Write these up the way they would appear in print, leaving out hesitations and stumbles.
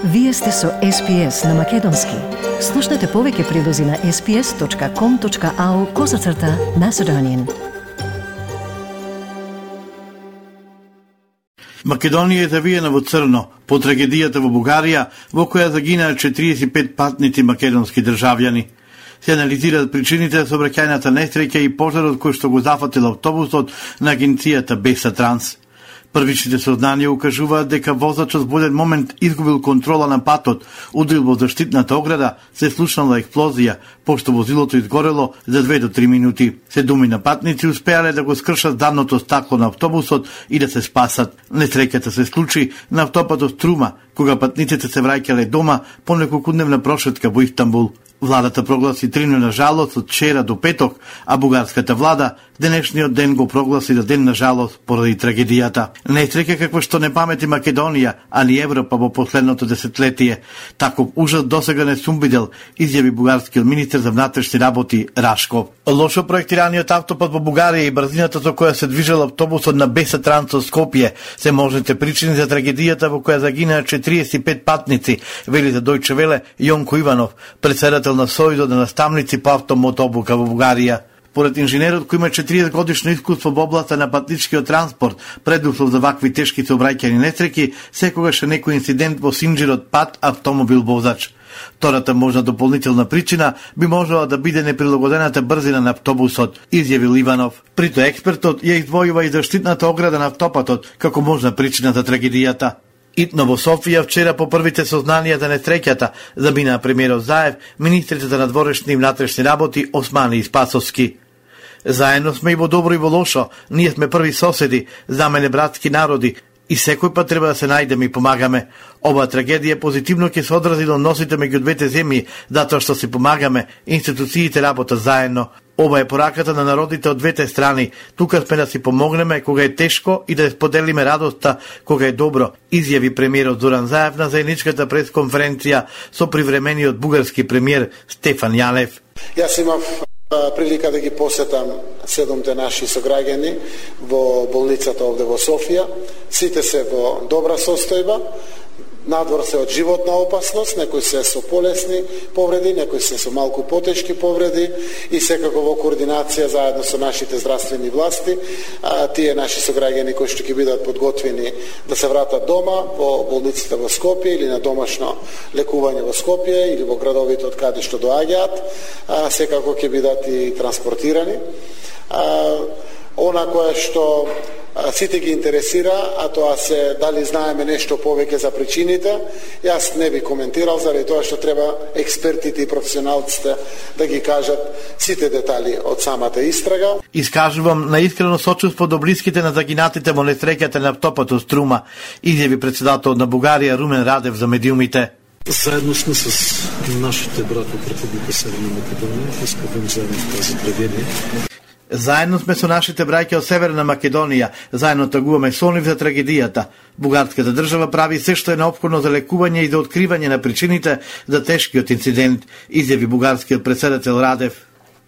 Вие сте со SPS на Македонски. Слушнете повеќе прилози на sps.com.au/Macedonian. Македонија е завиена во црно по трагедијата во Бугарија, во која загинаа 45 патници македонски државјани. Се анализираат причините за сообраќајната несреќа и пожарот кој што го зафатил автобусот на агенцијата Беса Транс. Првичните сознанија укажуваат дека возачот во еден момент изгубил контрола на патот, удрил во заштитната ограда, се слушнала експлозија, пошто возилото изгорело за 2 до 3 минути. 7 патници успеале да го скршат задното стакло на автобусот и да се спасат. Несреќата се случи на автопатот Струма, кога патниците се враќале дома по неколкудневна прошетка во Истанбул. Владата прогласи 3-дневна жалост од вчера до петок, а бугарската влада денешниот ден го прогласи за ден на жалост поради трагедијата. Несреќа каква што не памети Македонија, а ни Европа во последното десетлетие. Таков ужас досега не сум видел, изјави бугарскиот министер за внатрешни работи Рашков. Лошо проектираниот автопат во Бугарија и брзината со која се движел автобусот на Беса Транс од Скопје се можните причини за трагедијата во која загинаа 45 патници, вели за Дојче Веле Јонко Иванов, председател на Сојузот на наставници по автомотобука во Бугарија. Поред инженерот кој има 40 годишно искуство во областа на патничкиот транспорт, предуслов за вакви тешки сообраќајни несреќи, секогаш е некој инцидент во синџирот пат автомобил возач. Втората можна дополнителна причина би можела да биде неприлагодената брзина на автобусот, изјавил Иванов. Прито експертот ја издвојува и заштитната ограда на автопатот како можна причина за трагедијата. Итно во Софија вчера по првите сознанија за несреќата замина премиерот Заев, министрите за надворешни и внатрешни работи Османи и Спасовски. Заедно сме и во добро и во лошо, ние сме први соседи, за мене братски народи, и секој пат треба да се најдеме и помагаме. Ова трагедија позитивно ќе се одрази на односите меѓу двете земји, затоа што се помагаме, институциите работат заедно. Ова е пораката на народите од двете страни. Тука сме да си помогнеме кога е тешко и да споделиме радоста кога е добро, изјави премиерот Зоран Заев на заедничката пресконференција со привремениот бугарски премиер Стефан Јанев. Јас имав прилика да ги посетам 7 наши сограѓани во болницата овде во Софија. Сите се во добра состојба. Надвор се од животна опасност, некои се со полесни повреди, некои се со малку потешки повреди и секако во координација заедно со нашите здравствени власти, тие наши сограѓани кои што ќе бидат подготвени да се вратат дома во болницата во Скопје или на домашно лекување во Скопје или во градовите од каде што доаѓаат, секако ќе бидат и транспортирани. Она кое што сите ги интересира, а тоа се дали знаеме нешто повеќе за причините. Јас не би коментирал заради тоа што треба експертите и професионалците да ги кажат сите детали од самата истрага. Искажувам наискрено сочувство до блиските на загинатите во несреќата на автопатот Струма, изјави председател на Бугарија Румен Радев за медиумите. Заедно сме с нашите брати од Република Северна Македонија, искавам заедно в тази трагедија. Заедно сме со нашите браќа од Северна Македонија, заедно тагуваме со нив за трагедијата. Бугарската држава прави се што е неопходно за лекување и за откривање на причините за тешкиот инцидент, изјави бугарскиот председател Радев.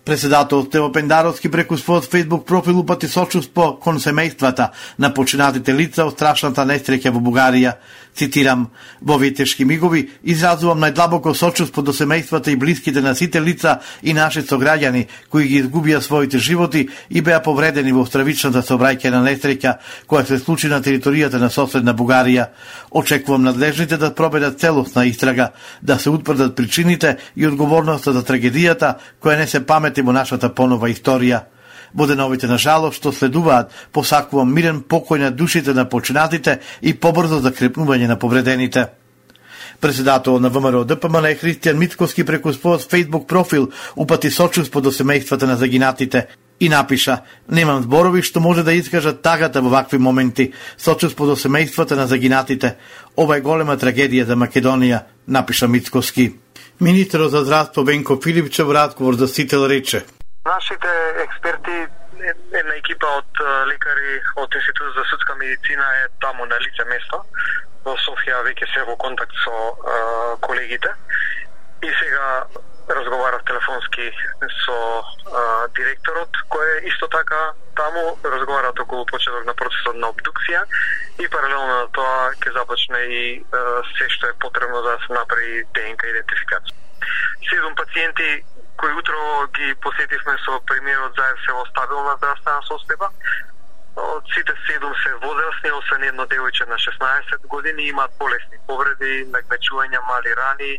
Председател Тево Пендаровски преку својот Facebook профил упати сочувство кон семејствата на починатите лица од страшната несреќа во Бугарија. Цитирам: "Во овие тешки мигови изразувам најдлабоко сочувство до семејствата и блиските на сите лица и наши сограѓани кои ги изгубија своите животи и беа повредени во стравичната сообраќајна несреќа која се случи на територијата на соседна Бугарија. Очекувам надлежните да проведат целосна истрага, да се утврдат причините и одговорноста за трагедијата која не се памети во нашата понова историја. Во деновите на жалост што следуваат, посакувам мирен покој на душите на починатите и побрзо закрепнување на повредените." Председател на ВМРО ДПМН Христијан Мицкоски преку својот Facebook профил упати сочувство до семејствата на загинатите и напиша: "Немам зборови што може да искажат тагата во вакви моменти. Сочувство до семејствата на загинатите. Ова е голема трагедија за Македонија", напиша Мицкоски. Министерот за здравство Венко Филипчев во разговор за Сител рече: "Нашите експерти, една екипа од лекари од Институтот за судска медицина е таму на лице место. Во Софија веќе се во контакт со колегите. И сега разговарав телефонски со директорот, кој е исто така таму, разговараат околу почеток на процесот на обдукција и паралелно на тоа ќе започне и се што е потребно да се направи ДНК идентификација. 7 пациенти кои утро ги посетивме со премиерот заедно се во стабилна здравствена состојба. Од сите 7 се возрастни, освен едно девојче на 16 години, имаат полесни повреди, нагмечувања, мали рани,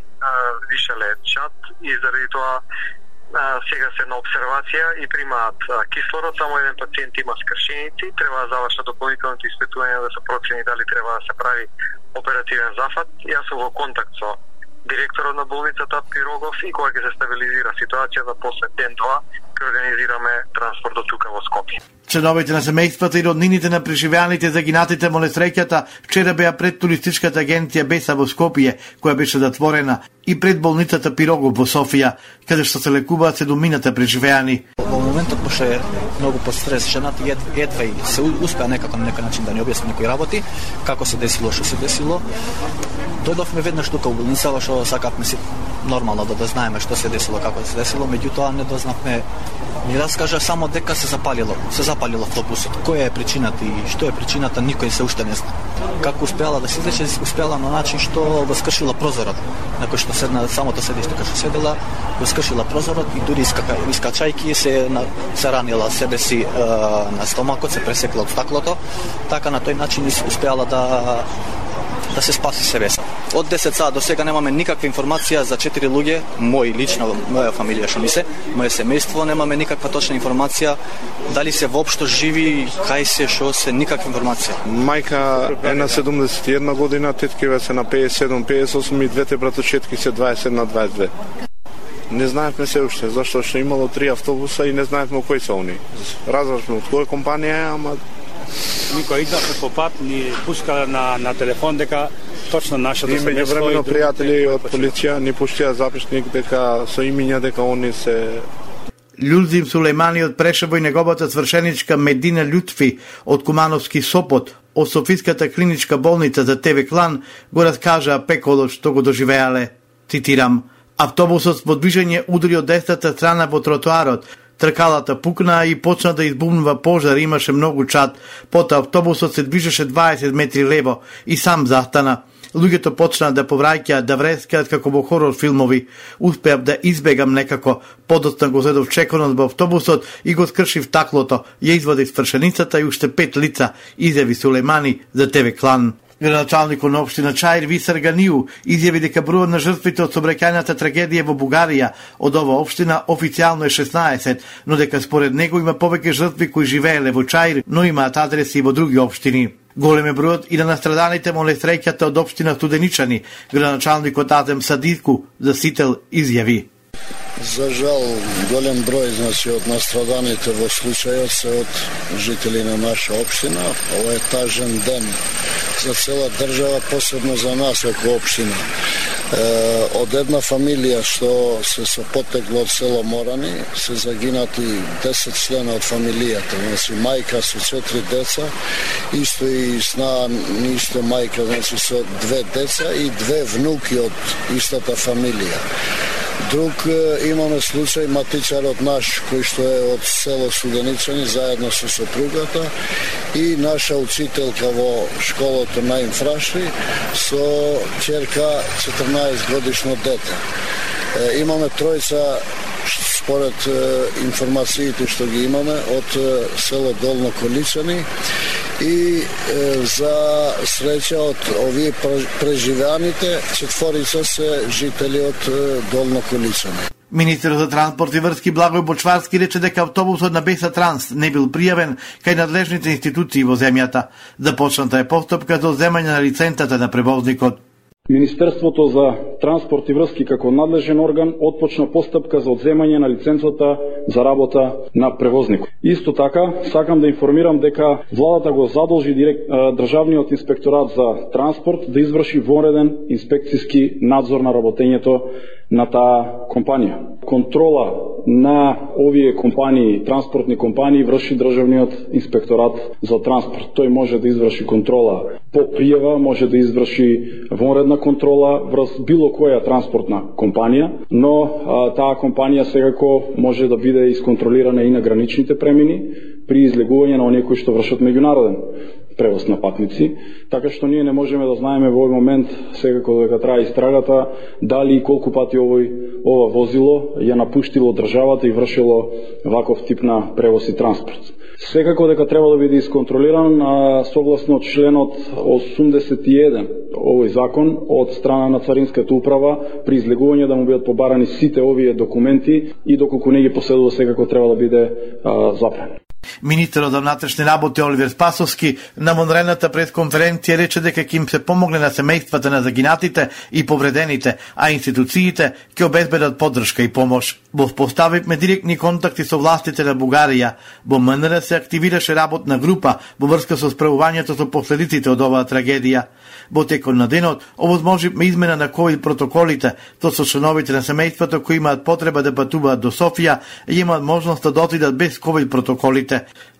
више лечат и заради тоа сега се на обсервација и примаат кислород. Само еден пациент има скршеници, треба да завршат дополнителните испитувања да се процени дали треба да се прави оперативен зафат. Јас сум во контакт со директорот на болницата Пирогов и кога ќе се стабилизира ситуацијата после ден-два ќе организираме транспорт до тука во Скопје. Членовите на семејствата и роднините на преживеаните загинатите во несреќата вчера беа пред туристичката агенција Беса во Скопје, која беше затворена, и пред болницата Пирогов во Софија, каде што се лекуваат 7 преживеани. Во моментот беше многу под стрес, жената едва и се успеа некако на некој начин да ни објасни некои работи, како се десило, што се десило. Дојдовме веднаш тука во болницава, што сакавме си нормално да знаеме што се десило, како се десило, меѓутоа не дознавме. Ни раскажа само дека се запалило автобусот. Која е причината и што е причината, никој се уште не знае. Како успеала да се излече, успеала на начин што го скршила прозорот. Некој што седна самото седиште кај што седела, го скршила прозорот и дури искачајки се ранила себе си на стомакот, се пресекла од стаклото. Така на тој начин успеала да се спаси себе. Од 10 саат до сега немаме никаква информација за 4 луѓе, моја фамилија што ми се, моје семејство, немаме никаква точна информација дали се воопшто живи, кај се, што се, никаква информација. Мајка е на 71 година, теткиве се на 57-58 и двете братовчетки се 20 на 22. Не знаевме се уште, зашто што имало 3 автобуса и не знаевме кои се они. Разбрашме од која компанија е, ама никој идавме по пат, ни пускале на телефон дека точно нашето семејство. И меѓувремено пријатели од полиција ни пуштија запишник дека со имиња дека они се Људзим Сулејмани од Прешево и неговата свршеничка Медина Лютфи од Кумановски Сопот од Софиската клиничка болница за ТВ Клан го раскажа пеколот што го доживеале. Цитирам: автобусот со движење удари од десната страна во тротоарот. Тркалата пукна и почна да избумнува пожар, имаше многу чад. Потоа автобусот се движеше 20 метри лево и сам застана. Луѓето почнаа да повраќаат, да врескаат како во хорор филмови. Успеав да избегам некако. Подоцна го зедов чеконот во автобусот и го скршив таклото. Ја извадив свршеницата и уште 5 лица, изјави Сулејмани за ТВ Клан. Градоначалникот на општина Чаир Висар Ганиу изјави дека бројот на жртвите од сообраќајната трагедија во Бугарија од оваа општина официјално е 16, но дека според него има повеќе жртви кои живееле во Чаир, но имаат адреси во други општини. Голем е бројот и на настраданите во несреќата од општина Студеничани. Градоначалникот Азем Садику за Сител изјави: за жал, голем број од настраданите во случајот се од жители на наша општина. Ова е тажен ден за цела држава, посебно за нас како општина. Од една фамилија што се со потекло од село Морани се загинати 10 члена од фамилијата, значи мајка со 4 деца, исто и сна исто мајка, значи со 2 деца и 2 внуки од истата фамилија. Друг имаме случај матичарот наш кој што е од село Студеничани заедно со сопругата и наша учителка во школото на Инфраши со ќерка 14 годишно дете. Имаме тројца според информациите што ги имаме од село Долно Количани и за среќа од овие преживеаните 4 се жители од Долно Количани. Министерот за транспорт и врски Благој Бочварски рече дека автобусот на Беса Транс не бил пријавен кај надлежните институции во земјата. Започната е постапка за земање на лиценцата на превозникот. Министерството за транспорт и врски како надлежен орган отпочна постапка за одземање на лиценцата за работа на превозникот. Исто така, сакам да информирам дека владата го задолжи Државниот инспекторат за транспорт да изврши вонреден инспекцијски надзор на работењето на таа компанија. Контрола на овие компании, транспортни компании, врши државниот инспекторат за транспорт. Тој може да изврши контрола по пријава, може да изврши вонредна контрола врз било која транспортна компанија, но таа компанија секако може да биде исконтролирана и на граничните премини при излегување на оние кои што вршат меѓународен превоз на патници, така што ние не можеме да знаеме во овој момент, секако дека трае истрагата, дали и колку пати ова возило ја напуштило државата и вршило ваков тип на превоз и транспорт. Секако дека треба да биде исконтролиран согласно членот 81 овој закон од страна на Царинската управа при излегување да му бидат побарани сите овие документи и доколку не ги поседува секако треба да биде запрен. Министерот за внатрешни работи Оливер Спасовски на вонредната пресконференција рече дека ќе им се помогне на семејствата на загинатите и повредените, а институциите ќе обезбедат поддршка и помош. Во поставивме директни контакти со властите на Бугарија. Во МНР се активираше работна група во врска со справувањето со последиците од оваа трагедија. Во текот на денот овозможивме измена на ковид протоколите, то со членовите на семејството кои имаат потреба да патуваат до Софија и имаат можност да отидат без ковид протоколите.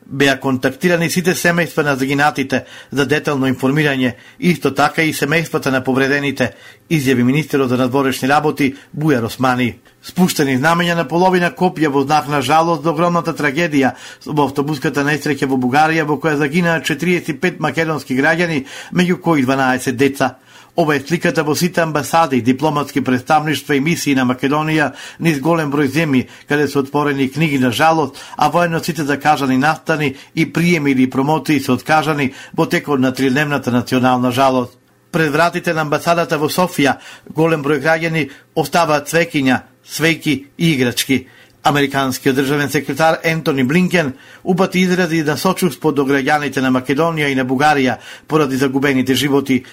Беа контактирани сите семејства на загинатите за детално информирање, исто така и семејствата на повредените, изјави министерот за надворешни работи Бујар Османи. Спуштени знамења на половина копија во знак на жалост до огромната трагедија во автобуската несреќа во Бугарија во која загинаа 45 македонски граѓани, меѓу кои 12 деца. Ова е сликата во сите амбасади, дипломатски представништва и мисии на Македонија низ голем број земји, каде се отворени книги на жалост, а воедно сите закажани настани и приеми или промоции се откажани во текот на тридневната национална жалост. Пред вратите на амбасадата во Софија голем број граѓани оставаат цвеќиња, свејки и играчки. Американскиот државен секретар Ентони Блинкен упати изрази на сочувство до граѓаните на Македонија и на Бугарија поради загубените животи.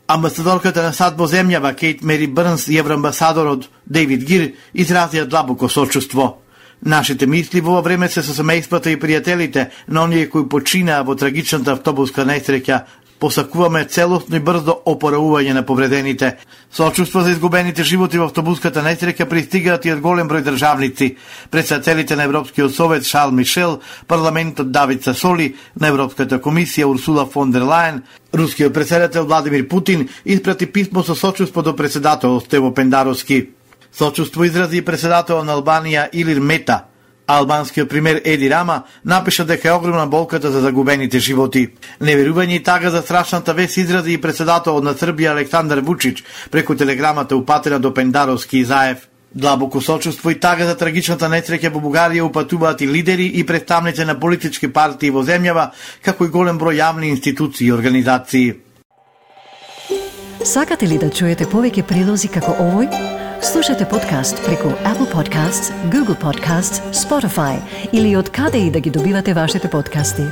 Амбасадорката на САД во земјава Кейт Мери Брнс и евроамбасадорот Дейвид Гир изразија длабоко сочувство. Нашите мисли во ова време се со семејствата и пријателите на оние кои починаа во трагичната автобуска несреќа. Посакуваме целосно и брзо опоравување на повредените. Сочувство за изгубените животи во автобуската несреќа пристигаат и од голем број државници. Председателите на Европскиот совет Шарл Мишел, парламентот Давид Сасоли, на Европската комисија Урсула фон дер Лајен, рускиот председател Владимир Путин испрати писмо со сочувство до председателот Стево Пендаровски. Сочувство изрази и председателот на Албанија Илир Мета. Албанскиот премиер Еди Рама напиша дека е огромна болката за загубените животи. Неверување и тага за страшната вест изрази и председателот на Србија Александар Вучич преку телеграмата упатена до Пендаровски и Заев. Длабоко сочувство и тага за трагичната несреќа во Бугарија упатуваат и лидери и представници на политички партии во земјава, како и голем број јавни институции и организации. Сакате ли да чуете повеќе прилози како овој? Слушате подкаст преку Apple Podcasts, Google Podcasts, Spotify или од каде и да ги добивате вашите подкасти.